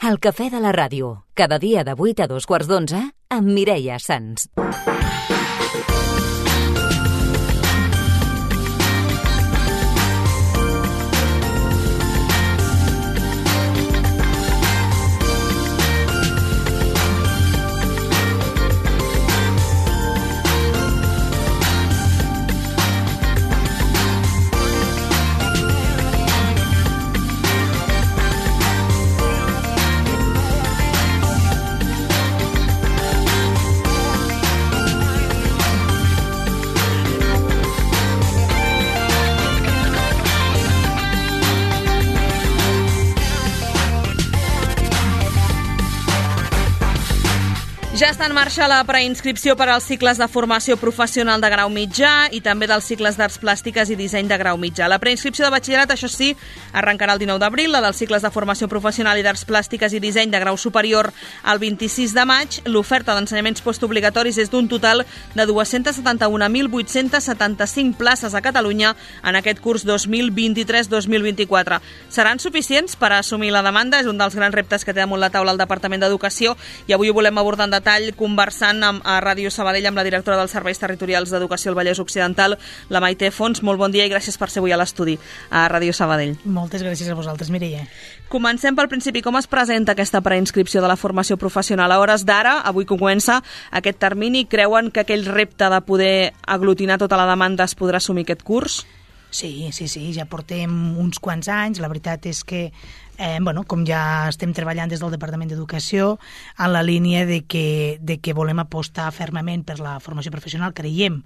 El cafè de la ràdio, cada dia de 8 a 2:15 amb Mireia Sans. Ja està en marxa la preinscripció per als cicles de formació professional de grau mitjà i també dels cicles d'arts plàstiques i disseny de grau mitjà. La preinscripció de batxillerat, això sí, arrencarà el 19 d'abril, la dels cicles de formació professional i d'arts plàstiques i disseny de grau superior el 26 de maig. L'oferta d'ensenyaments postobligatoris és d'un total de 271.875 places a Catalunya en aquest curs 2023-2024. Seran suficients per assumir la demanda? És un dels grans reptes que té damunt la taula el Departament d'Educació i avui ho volem abordar en detall conversant a Ràdio Sabadell amb la directora dels Serveis Territorials d'Educació al Vallès Occidental, la Maite Fons. Molt bon dia i gràcies per ser avui a l'estudi a Ràdio Sabadell. Moltes gràcies a vosaltres, Mireia. Comencem pel principi. Com es presenta aquesta preinscripció de la formació professional? A hores d'ara, avui que comença aquest termini, creuen que aquell repte de poder aglutinar tota la demanda es podrà assumir aquest curs? Sí, ja portem uns quants anys. La veritat és que com ja estem treballant des del Departament d'Educació en la línia de que volem apostar fermament per la formació professional, creiem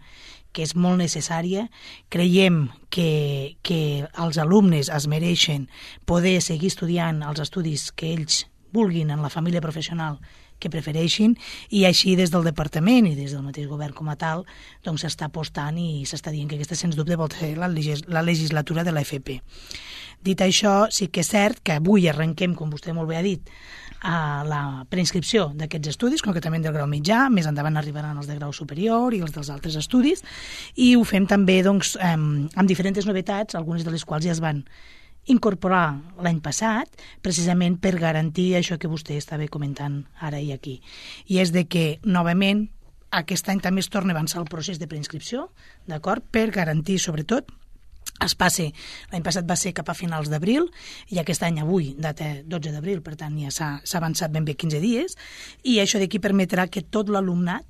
que és molt necessària, creiem que els alumnes es mereixen poder seguir estudiant els estudis que ells vulguin en la família professional que prefereixin, i així des del departament i des del mateix govern com a tal doncs s'està apostant i s'està dient que aquesta sens dubte vol ser la legislatura de l'FP. Dit això, sí que és cert que avui arrenquem, com vostè molt bé ha dit, a la preinscripció d'aquests estudis, concretament del grau mitjà. Més endavant arribaran els de grau superior i els dels altres estudis, i ho fem també amb diferents novetats, algunes de les quals ja es van incorporar l'any passat, precisament per garantir això que vostè estava comentant ara i aquí. I és de que, novament, aquest any també es torna a avançar el procés de preinscripció, d'acord? Per garantir, sobretot, l'any passat va ser cap a finals d'abril, i aquest any avui, data 12 d'abril, per tant ja s'ha avançat ben bé 15 dies, i això d'aquí permetrà que tot l'alumnat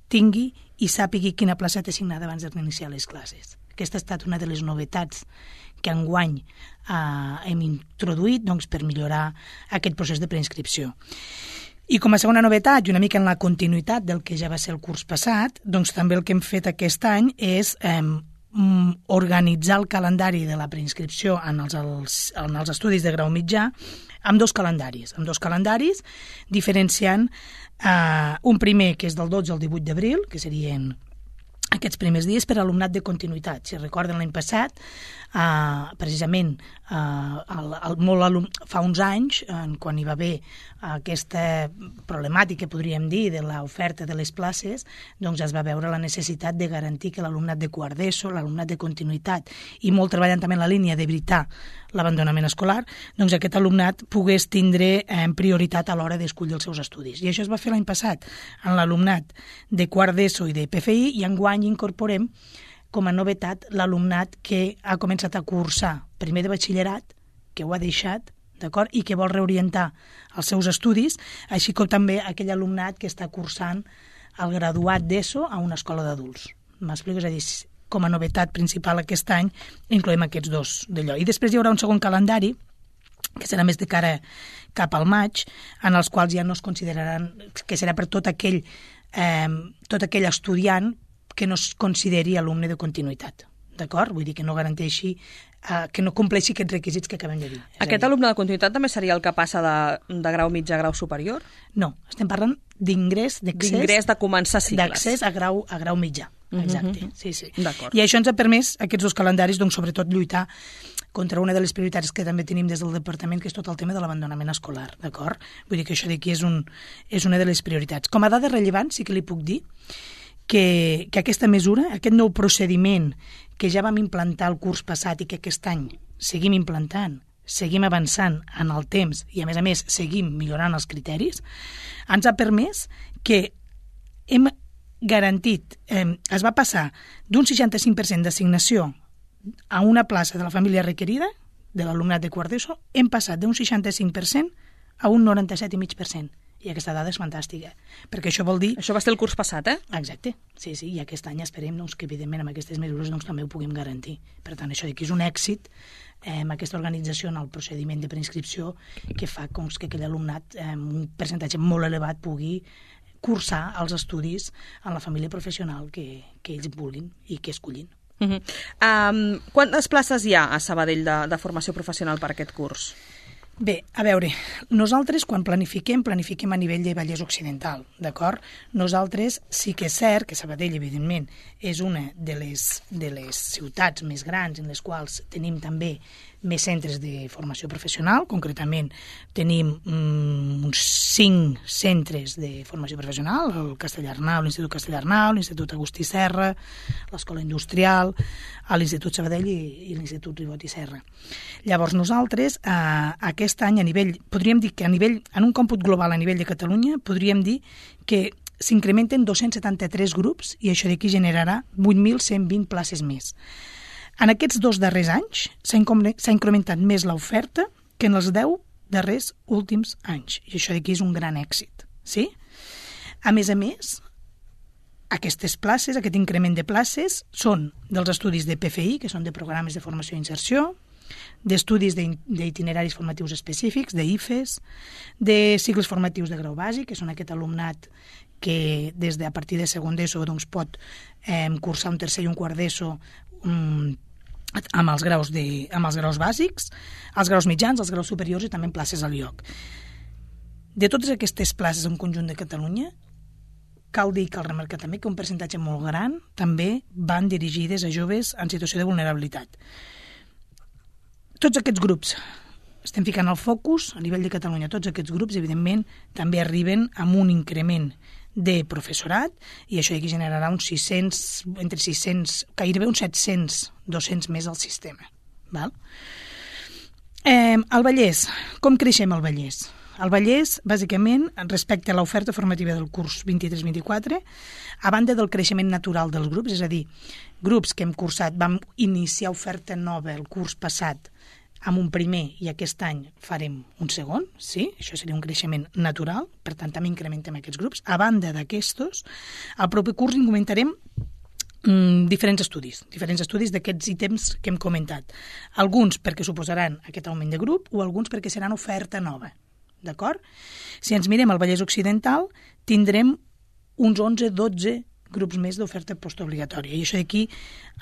tingui i sàpigui quina plaça té assignada abans d'iniciar les classes. Aquesta ha estat una de les novetats que enguany hem introduït per millorar aquest procés de preinscripció. I com a segona novetat, i una mica en la continuïtat del que ja va ser el curs passat, també el que hem fet aquest any és organitzar el calendari de la preinscripció en els estudis de grau mitjà amb dos calendaris, diferenciant un primer que és del 12 al 18 d'abril, que serien aquests primers dies per alumnat de continuïtat. Si recorden l'any passat, precisament fa uns anys, quan hi va haver aquesta problemàtica, podríem dir, de l'oferta de les places, doncs es va veure la necessitat de garantir que l'alumnat de quart d'ESO, l'alumnat de continuïtat, i molt treballant també en la línia d'evitar l'abandonament escolar, doncs aquest alumnat pogués tindre prioritat a l'hora d'escollir els seus estudis. I això es va fer l'any passat en l'alumnat de quart d'ESO i de PFI, i enguany incorporem com a novetat l'alumnat que ha començat a cursar primer de batxillerat, que ho ha deixat, d'acord, i que vol reorientar els seus estudis, així com també aquell alumnat que està cursant el graduat d'ESO a una escola d'adults. M'explico? És a dir, com a novetat principal aquest any incloem aquests dos d'allò. I després hi haurà un segon calendari, que serà més de cara cap al maig, en els quals ja no es consideraran, que serà per tot aquell estudiant que no es consideri alumne de continuïtat, d'acord? Vull dir que no garanteixi, que no compleixi aquests requisits que acabem de dir. Aquest alumne de continuïtat també seria el que passa de grau mitjà a grau superior? No, estem parlant d'ingrés, d'ingrés de començar cicles. D'accés a grau mitjà, exacte. Sí. D'acord. I això ens ha permès, aquests dos calendaris, sobretot lluitar contra una de les prioritats que també tenim des del departament, que és tot el tema de l'abandonament escolar, d'acord? Vull dir que això d'aquí és una de les prioritats. Com a dada rellevant, sí que li puc dir que aquesta mesura, aquest nou procediment que ja vam implantar el curs passat i que aquest any seguim implantant, seguim avançant en el temps i, a més, seguim millorant els criteris, ens ha permès que hem garantit, es va passar d'un 65% d'assignació a una plaça de la família requerida, de l'alumnat de quart d'ESO, hem passat d'un 65% a un 97,5%. I aquesta dada és fantàstica, perquè això vol dir... Això va ser el curs passat, Exacte, sí, i aquest any esperem que, evidentment, amb aquestes mesures també ho puguem garantir. Per tant, això d'aquí és un èxit, aquesta organització en el procediment de preinscripció que fa que aquell alumnat, un percentatge molt elevat, pugui cursar els estudis en la família professional que ells vulguin i que escollin. Quantes places hi ha a Sabadell de formació professional per aquest curs? Bé, a veure, nosaltres quan planifiquem a nivell de Vallès Occidental, d'acord? Nosaltres sí que és cert que Sabadell, evidentment, és una de les ciutats més grans en les quals tenim també més centres de formació professional. Concretament, tenim uns 5 centres de formació professional, el Castellarnau, l'Institut Castellarnau, l'Institut Agustí Serra, l'Escola Industrial, l'Institut Sabadell i l'Institut Ribot i Serra. Llavors, nosaltres, aquest any, podríem dir que en un còmput global a nivell de Catalunya, podríem dir que s'incrementen 273 grups i això d'aquí generarà 8.120 places més. En aquests 2 darrers anys s'ha incrementat més l'oferta que en els 10 darrers últims anys. I això d'aquí és un gran èxit. Sí? A més, aquestes places, aquest increment de places, són dels estudis de PFI, que són de programes de formació i inserció, d'estudis d'itineraris formatius específics, d'IFES, de cicles formatius de grau bàsic, que són aquest alumnat que a partir de segon d'ESO pot cursar un tercer i un quart d'ESO amb els graus bàsics, els graus mitjans, els graus superiors i també places al lloc. De totes aquestes places en conjunt de Catalunya, cal dir, cal remarcar també que un percentatge molt gran també van dirigides a joves en situació de vulnerabilitat. Tots aquests grups, estem ficant el focus a nivell de Catalunya, tots aquests grups, evidentment, també arriben amb un increment de professorat i això aquí generarà uns 600, entre 600, gairebé uns 700 docents més al sistema. Val? El Vallès, com creixem al Vallès? El Vallès, bàsicament, respecte a l'oferta formativa del curs 23-24, a banda del creixement natural dels grups, és a dir, grups que hem cursat, vam iniciar oferta nova el curs passat amb un primer i aquest any farem un segon, sí? Això seria un creixement natural, per tant també incrementem aquests grups. A banda d'aquestos, al proper curs incrementarem diferents estudis d'aquests ítems que hem comentat. Alguns perquè suposaran aquest augment de grup o alguns perquè seran oferta nova. D'acord? Si ens mirem al Vallès Occidental, tindrem uns 11-12 grups més d'oferta postobligatòria. I això d'aquí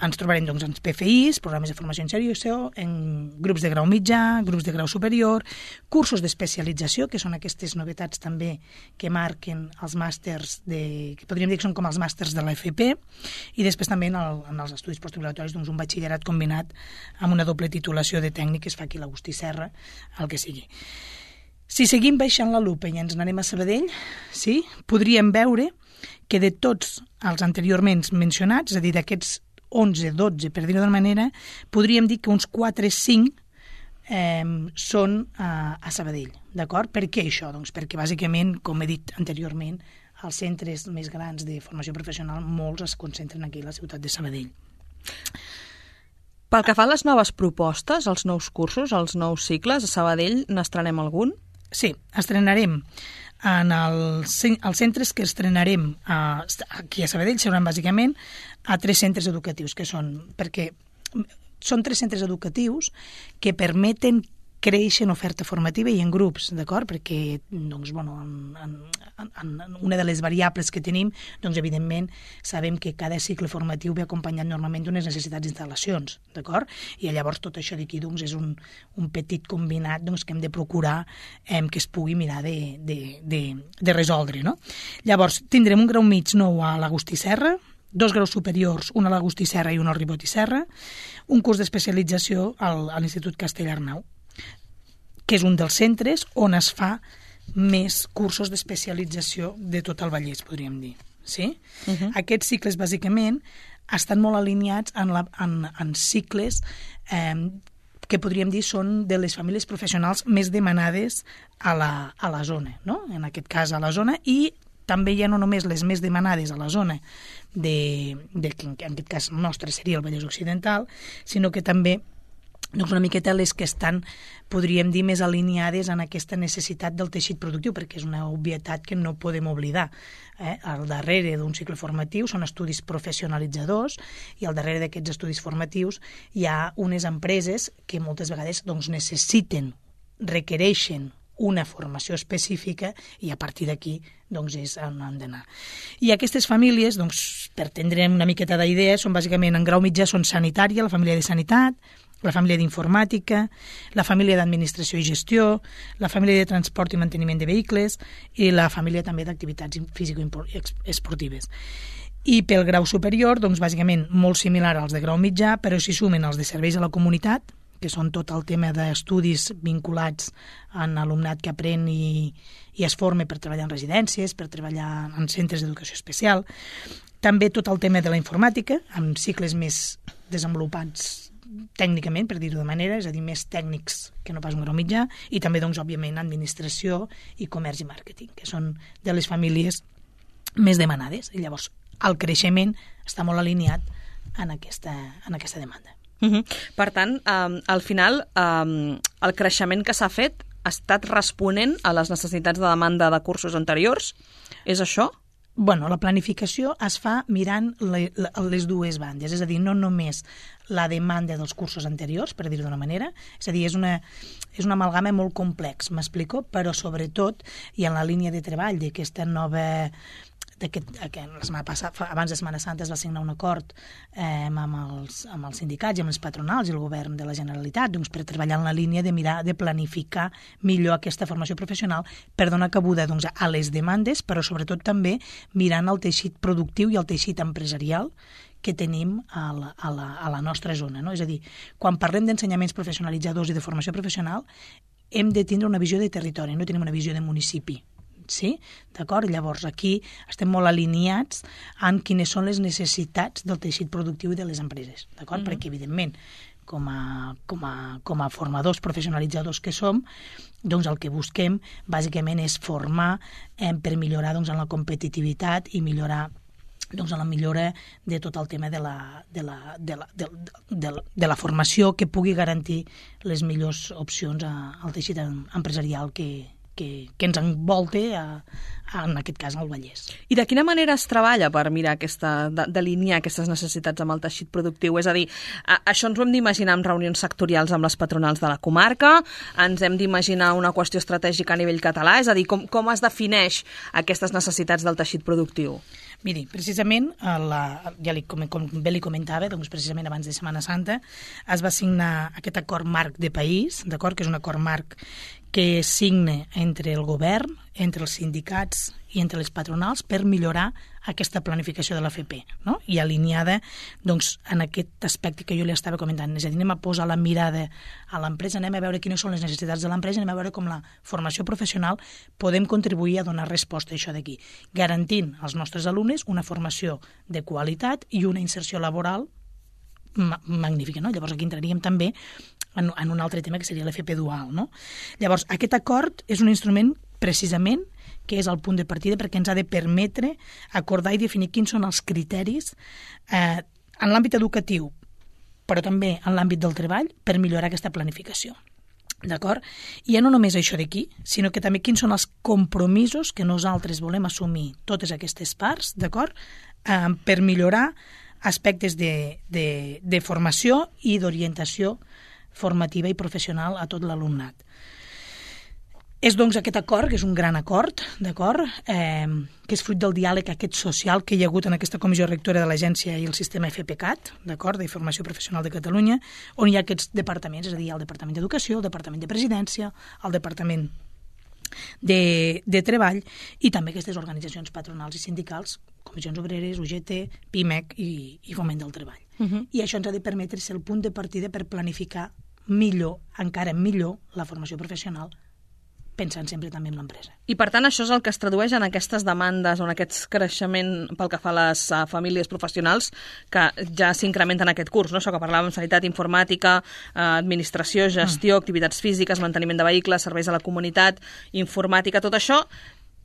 ens trobarem doncs, en PFIs, programes de formació en inserció, en grups de grau mitjà, grups de grau superior, cursos d'especialització, que són aquestes novetats també que marquen els màsters, que podríem dir que són com els màsters de l'FP, i després també en els estudis postobligatoris doncs, un batxillerat combinat amb una doble titulació de tècnic que es fa aquí a l'Agustí Serra, el que sigui. Si seguim baixant la lupa i ens n'anem a Sabadell, sí, podríem veure que de tots els anteriorment mencionats, és a dir, d'aquests 11-12, per dir-ho d'una manera, podríem dir que uns 4-5 són a Sabadell. D'acord? Per què això? Doncs perquè, bàsicament, com he dit anteriorment, els centres més grans de formació professional, molts es concentren aquí a la ciutat de Sabadell. Pel que fa a les noves propostes, els nous cursos, els nous cicles, a Sabadell n'estrenem algun? Sí, estrenarem els centres que estrenarem aquí a Sabadell seran bàsicament a 3 centres educatius, que són 3 centres educatius que permeten créixer en oferta formativa i en grups, d'acord? Perquè doncs, una de les variables que tenim, doncs, evidentment, sabem que cada cicle formatiu ve acompanyat normalment d'unes necessitats d'instal·lacions, d'acord? I llavors tot això d'aquí doncs, és un petit combinat doncs, que hem de procurar que es pugui mirar de resoldre. No? Llavors, tindrem un grau mig nou a l'Agustí Serra, 2 graus superiors, un a l'Agustí Serra i un al Ribot i Serra, un curs d'especialització a l'Institut Castellarnau, que és un dels centres on es fa més cursos d'especialització de tot el Vallès, podríem dir. Sí? Aquests cicles, bàsicament, estan molt alineats en cicles que podríem dir són de les famílies professionals més demanades a la zona, no? En aquest cas a la zona, i també hi ha no només les més demanades a la zona que en aquest cas nostre seria el Vallès Occidental, sinó que també doncs una miqueta les que estan, podríem dir, més alineades en aquesta necessitat del teixit productiu, perquè és una obvietat que no podem oblidar. Al darrere d'un cicle formatiu són estudis professionalitzadors, i al darrere d'aquests estudis formatius hi ha unes empreses que moltes vegades doncs, requereixen una formació específica, i a partir d'aquí doncs, és on han d'anar. I aquestes famílies, doncs, per tindre una miqueta d'idea, són bàsicament en grau mitjà són sanitària, la família de sanitat, la família d'informàtica, la família d'administració i gestió, la família de transport i manteniment de vehicles i la família també d'activitats físico-esportives. I pel grau superior, doncs, bàsicament molt similar als de grau mitjà, però s'hi sumen els de serveis a la comunitat, que són tot el tema d'estudis vinculats en alumnat que aprèn i es forma per treballar en residències, per treballar en centres d'educació especial. També tot el tema de la informàtica, amb cicles més desenvolupats tècnicament, per dir-ho de manera, és a dir, més tècnics que no pas un grau mitjà, i també, doncs, òbviament, administració i comerç i màrqueting, que són de les famílies més demanades. I llavors, el creixement està molt alineat en aquesta demanda. Per tant, al final, el creixement que s'ha fet ha estat responent a les necessitats de demanda de cursos anteriors? És això? Bueno, la planificació es fa mirant les dues bandes, és a dir, no només la demanda dels cursos anteriors, per dir-ho d'una manera, és a dir, és una amalgama molt complex, m'explico, però sobretot, i en la línia de treball d'aquesta nova... la setmana passada, abans de Setmana Santa, es va signar un acord amb els sindicats i amb els patronals i el govern de la Generalitat, doncs, per treballar en la línia de mirar de planificar millor aquesta formació professional per donar cabuda, doncs, a les demandes, però sobretot també mirant el teixit productiu i el teixit empresarial que tenim a la nostra zona, no? És a dir, quan parlem d'ensenyaments professionalitzadors i de formació professional, hem de tindre una visió de territori, no tenim una visió de municipi. Sí? D'acord? Llavors, aquí estem molt alineats en quines són les necessitats del teixit productiu i de les empreses. D'acord? Perquè, evidentment, com a formadors professionalitzadors que som, doncs el que busquem, bàsicament, és formar per millorar doncs, en la competitivitat i millorar doncs, en la millora de tot el tema de la formació que pugui garantir les millors opcions al teixit empresarial que ens envolta, en aquest cas, al Vallès. I de quina manera es treballa per mirar d'alinear aquestes necessitats amb el teixit productiu? És a dir, això ens ho hem d'imaginar en reunions sectorials amb les patronals de la comarca, ens hem d'imaginar una qüestió estratègica a nivell català, és a dir, com es defineix aquestes necessitats del teixit productiu? Miri, precisament, com bé li comentava, doncs precisament abans de Setmana Santa, es va signar aquest acord marc de país, d'acord, que és un acord marc que signa entre el govern, entre els sindicats i entre les patronals per millorar aquesta planificació de l'AFP, no? I alineada doncs, en aquest aspecte que jo li estava comentant. És a dir, anem a posar la mirada a l'empresa, anem a veure quines són les necessitats de l'empresa, anem a veure com la formació professional podem contribuir a donar resposta a això d'aquí, garantint als nostres alumnes una formació de qualitat i una inserció laboral magnífica, no? Llavors aquí entraríem també en un altre tema que seria l'FP dual, no? Llavors, aquest acord és un instrument precisament que és el punt de partida perquè ens ha de permetre acordar i definir quins són els criteris en l'àmbit educatiu, però també en l'àmbit del treball per millorar aquesta planificació. D'acord? I ja no només això d'aquí, sinó que també quins són els compromisos que nosaltres volem assumir totes aquestes parts, d'acord? Per millorar aspectes de formació i d'orientació formativa i professional a tot l'alumnat. És, doncs, aquest acord, que és un gran acord, d'acord, que és fruit del diàleg aquest social que hi ha hagut en aquesta comissió rectora de l'agència i el sistema FPCAT, d'acord, de Formació Professional de Catalunya, on hi ha aquests departaments, és a dir, el Departament d'Educació, el Departament de Presidència, el Departament de Treball i també aquestes organitzacions patronals i sindicals, Comissions Obreres, UGT, PIMEC i Foment del Treball. I això ens ha de permetre ser el punt de partida per planificar millor, encara millor, la formació professional pensant sempre també en l'empresa. I per tant això és el que es tradueix en aquestes demandes o en aquest creixement pel que fa a les famílies professionals que ja s'incrementen en aquest curs, no? Això que parlàvem, sanitat, informàtica, administració, gestió, activitats físiques, manteniment de vehicles, serveis a la comunitat, informàtica, tot això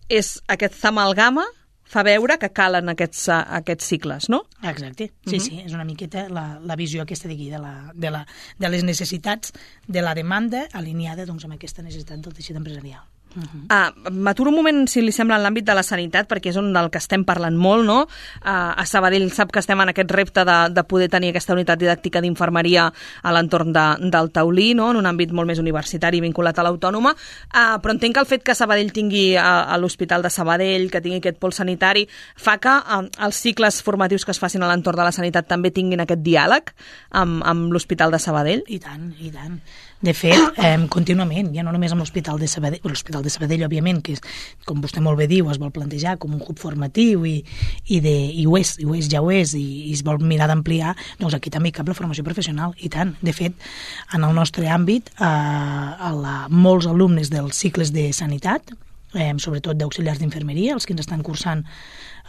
és aquesta amalgama fa veure que calen aquests cicles, no? Exacte, sí, és una miqueta la visió aquesta d'aquí, de les necessitats de la demanda alineada doncs, amb aquesta necessitat del teixit empresarial. M'aturo un moment, si li sembla, en l'àmbit de la sanitat, perquè és del que estem parlant molt, no? A Sabadell sap que estem en aquest repte de poder tenir aquesta unitat didàctica d'infermeria a l'entorn del Taulí, no? En un àmbit molt més universitari vinculat a l'Autònoma, però entenc que el fet que Sabadell tingui a l'Hospital de Sabadell, que tingui aquest pol sanitari, fa que els cicles formatius que es facin a l'entorn de la sanitat també tinguin aquest diàleg amb l'Hospital de Sabadell? I tant, i tant. De fet, contínuament, ja no només amb l'Hospital de Sabadell, òbviament, que com vostè molt bé diu, es vol plantejar com un hub formatiu i ho és, i es vol mirar d'ampliar, doncs aquí també hi cap la formació professional, i tant. De fet, en el nostre àmbit, molts alumnes dels cicles de sanitat, sobretot d'auxiliars d'infermeria, els que ens estan cursant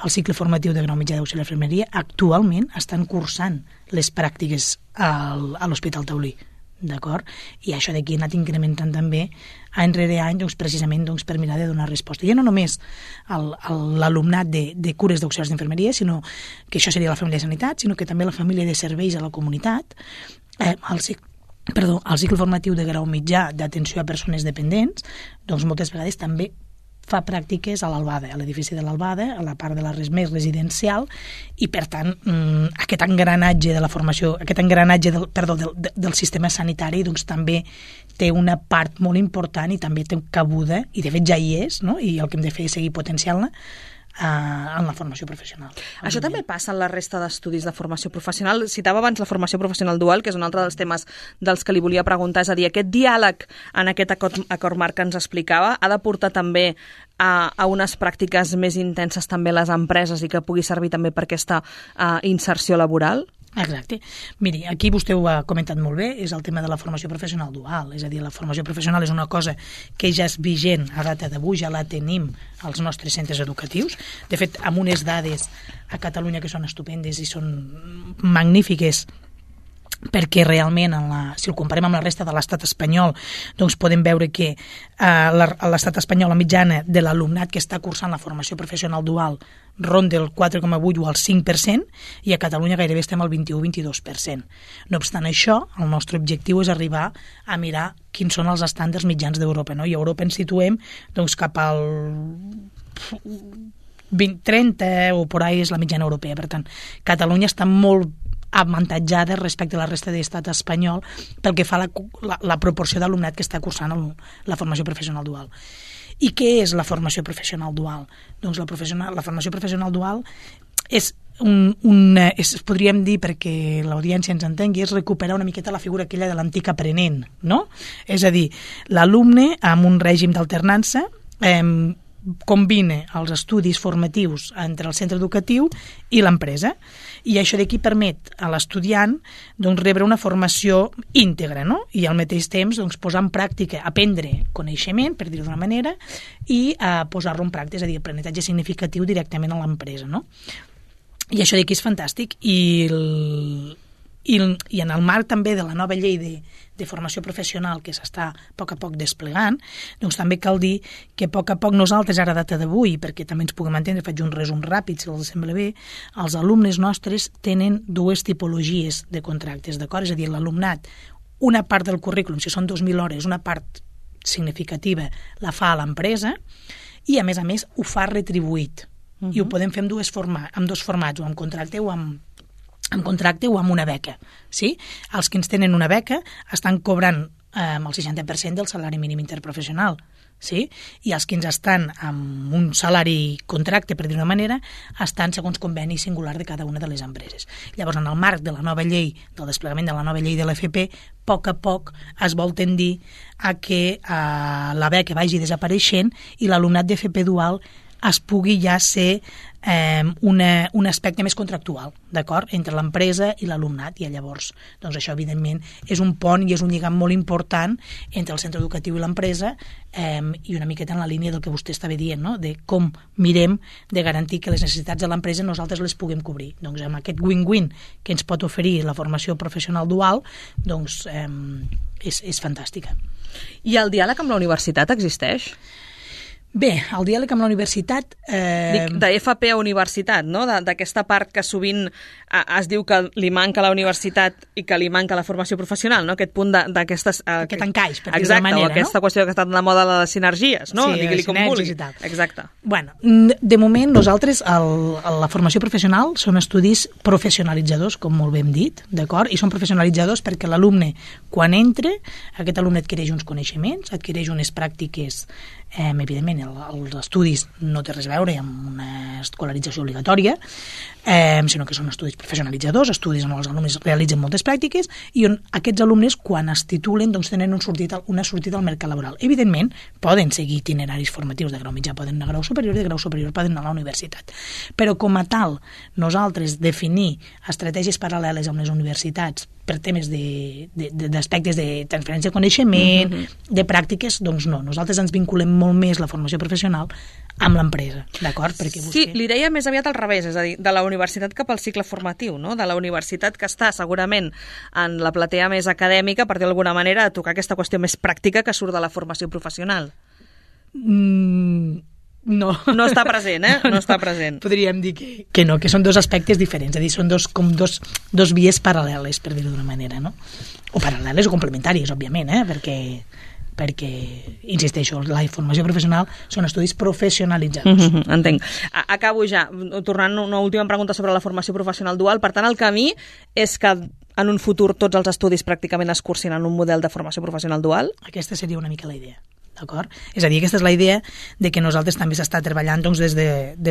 el cicle formatiu de grau mitjà d'auxiliar d'infermeria, actualment estan cursant les pràctiques a l'Hospital Taulí. D'acord? I això d'aquí ha anat incrementant també any rere any, doncs, precisament doncs, per mirar de donar resposta. Ja no només l'alumnat de cures d'auxiliars d'infermeria, sinó que això seria la família de sanitat, sinó que també la família de serveis a la comunitat, el cicle formatiu de grau mitjà d'atenció a persones dependents, doncs moltes vegades també fa pràctiques a l'Albada, a l'edifici de l'Albada, a la part de la més residencial, i per tant aquest engranatge de la formació, del sistema sanitari, doncs també té una part molt important i també té cabuda, i de fet ja hi és, no? I el que hem de fer és seguir potenciant-la en la formació professional. Això també passa en la resta d'estudis de formació professional. Citava abans la formació professional dual, que és un altre dels temes dels que li volia preguntar. És a dir, aquest diàleg en aquest acord marc que ens explicava ha de portar també a unes pràctiques més intenses també a les empreses i que pugui servir també per aquesta inserció laboral? Exacte. Miri, aquí vostè ho ha comentat molt bé, és el tema de la formació professional dual, és a dir, la formació professional és una cosa que ja és vigent a data d'avui, ja la tenim als nostres centres educatius. De fet, amb unes dades a Catalunya que són estupendes i són magnífiques, perquè realment, si el comparem amb la resta de l'estat espanyol, doncs podem veure que a l'estat espanyol la mitjana de l'alumnat que està cursant la formació professional dual ronda el 4,8 o el 5%, i a Catalunya gairebé estem al 21-22%. No obstant això, el nostre objectiu és arribar a mirar quins són els estàndards mitjans d'Europa, no? I a Europa ens situem doncs, cap al 20-30 o por ahí és la mitjana europea. Per tant, Catalunya està molt avantatjada respecte a la resta de l'estat espanyol pel que fa a la proporció d'alumnat que està cursant la formació professional dual. I què és la formació professional dual? Doncs la formació professional dual és podríem dir, perquè l'audiència ens entengui, és recuperar una miqueta la figura aquella de l'antic aprenent, no? És a dir, l'alumne amb un règim d'alternança combina els estudis formatius entre el centre educatiu i l'empresa, i això d'aquí permet a l'estudiant doncs, rebre una formació íntegra, no? I al mateix temps doncs, posar en pràctica, aprendre coneixement, per dir-ho d'una manera, i posar-lo en pràctica, és a dir, aprenentatge significatiu directament a l'empresa, no? I això d'aquí és fantàstic, i en el marc també de la nova llei de formació professional que s'està a poc a poc desplegant, doncs també cal dir que a poc a poc nosaltres, ara a data d'avui, perquè també ens puguem entendre, faig un resum ràpid, si els sembla bé, els alumnes nostres tenen dues tipologies de contractes, d'acord? És a dir, l'alumnat, una part del currículum, si són 2.000 hores, una part significativa la fa a l'empresa, i a més ho fa retribuït. I ho podem fer amb dos formats, o amb contracte o amb una beca. Sí? Els que ens tenen una beca estan cobrant el 60% del salari mínim interprofessional. Sí? I els que ens estan amb un salari contracte, per dir una manera, estan segons conveni singular de cada una de les empreses. Llavors, en el marc de la nova llei, del desplegament de la nova llei de l'FP, a poc es vol tendir a que la beca vagi desapareixent i l'alumnat d'FP dual es pugui ja ser un aspecte més contractual, d'acord, entre l'empresa i l'alumnat, i llavors, doncs això, evidentment, és un pont i és un lligam molt important entre el centre educatiu i l'empresa, i una miqueta en la línia del que vostè estava dient, no?, de com mirem de garantir que les necessitats de l'empresa nosaltres les puguem cobrir. Doncs amb aquest win-win que ens pot oferir la formació professional dual, doncs és fantàstica. I el diàleg amb la universitat existeix? Bé, el diàleg amb la universitat... De FP a universitat, no? D'aquesta part que sovint es diu que li manca a la universitat i que li manca a la formació professional, no? Aquest punt d'aquestes... Aquest encaix, per dir-ho d'una manera, o aquesta qüestió que està de moda de les sinergies, no? Sí, Digui-li com vulgui. i tal. Exacte. Bueno, de moment, nosaltres, la formació professional són estudis professionalitzadors, com molt bé hem dit, d'acord? I són professionalitzadors perquè l'alumne, quan entra, aquest alumne adquireix uns coneixements, adquireix unes pràctiques, evidentment, els estudis no té res a veure amb una escolarització obligatòria, sinó que són estudis professionalitzadors, estudis on els alumnes realitzen moltes pràctiques i on aquests alumnes, quan es titulen, doncs tenen una sortida al mercat laboral. Evidentment, poden seguir itineraris formatius de grau mitjà, poden anar a grau superior, de grau superior poden anar a la universitat. Però com a tal, nosaltres definir estratègies paral·leles amb les universitats per temes d'aspectes de transferència de coneixement, de pràctiques, doncs no. Nosaltres ens vinculem molt més la formació professional amb l'empresa, d'acord? Sí, li deia més aviat al revés, és a dir, de la universitat cap al cicle formatiu, no? De la universitat que està segurament en la platea més acadèmica, per dir d'alguna manera, a tocar aquesta qüestió més pràctica que surt de la formació professional. No. No està present, eh? No està present. Podríem dir que no, que són dos aspectes diferents, és a dir, són dos vies paral·leles, per dir-ho d'una manera, no? O paral·leles o complementàries, òbviament, perquè, insisteixo, la formació professional són estudis professionalitzadors. Entenc. Acabo ja, tornant a una última pregunta sobre la formació professional dual. Per tant, el camí és que en un futur tots els estudis pràcticament es cursin en un model de formació professional dual? Aquesta seria una mica la idea. D'acord? És a dir, aquesta és la idea de que nosaltres també s'està treballant doncs, des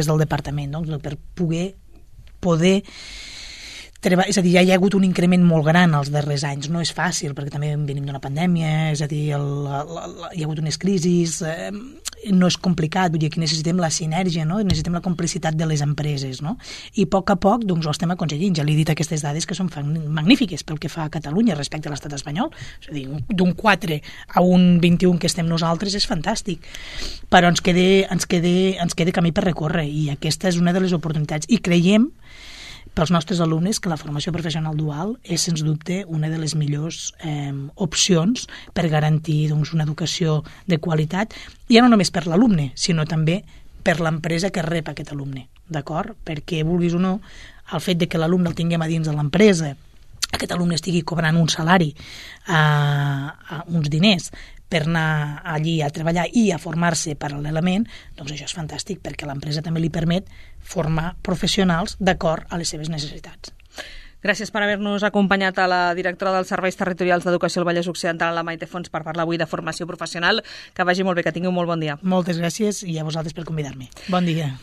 del departament, doncs, per poder treballar. És a dir, ja hi ha hagut un increment molt gran els darrers anys. No és fàcil, perquè també venim d'una pandèmia, és a dir, hi ha hagut unes crisis, no és complicat, vull dir, aquí necessitem la sinergia, no? Necessitem la complicitat de les empreses, no? I a poc doncs, ho estem aconseguint. Ja li he dit aquestes dades que són magnífiques pel que fa a Catalunya respecte a l'estat espanyol. És a dir, d'un 4 a un 21 que estem nosaltres és fantàstic. Però ens queda camí per recórrer i aquesta és una de les oportunitats. I creiem pels nostres alumnes que la formació professional dual és, sens dubte, una de les millors opcions per garantir doncs, una educació de qualitat, ja no només per l'alumne, sinó també per l'empresa que rep aquest alumne, d'acord? Perquè, vulguis o no, el fet de que l'alumne el tinguem a dins de l'empresa, aquest alumne estigui cobrant un salari, uns diners, per anar allí a treballar i a formar-se paral·lelament, doncs això és fantàstic, perquè l'empresa també li permet formar professionals d'acord a les seves necessitats. Gràcies per haver-nos acompanyat a la directora dels Serveis Territorials d'Educació al Vallès Occidental, la Maite Fons, per parlar avui de formació professional. Que vagi molt bé, que tingui un molt bon dia. Moltes gràcies i a vosaltres per convidar-me. Bon dia.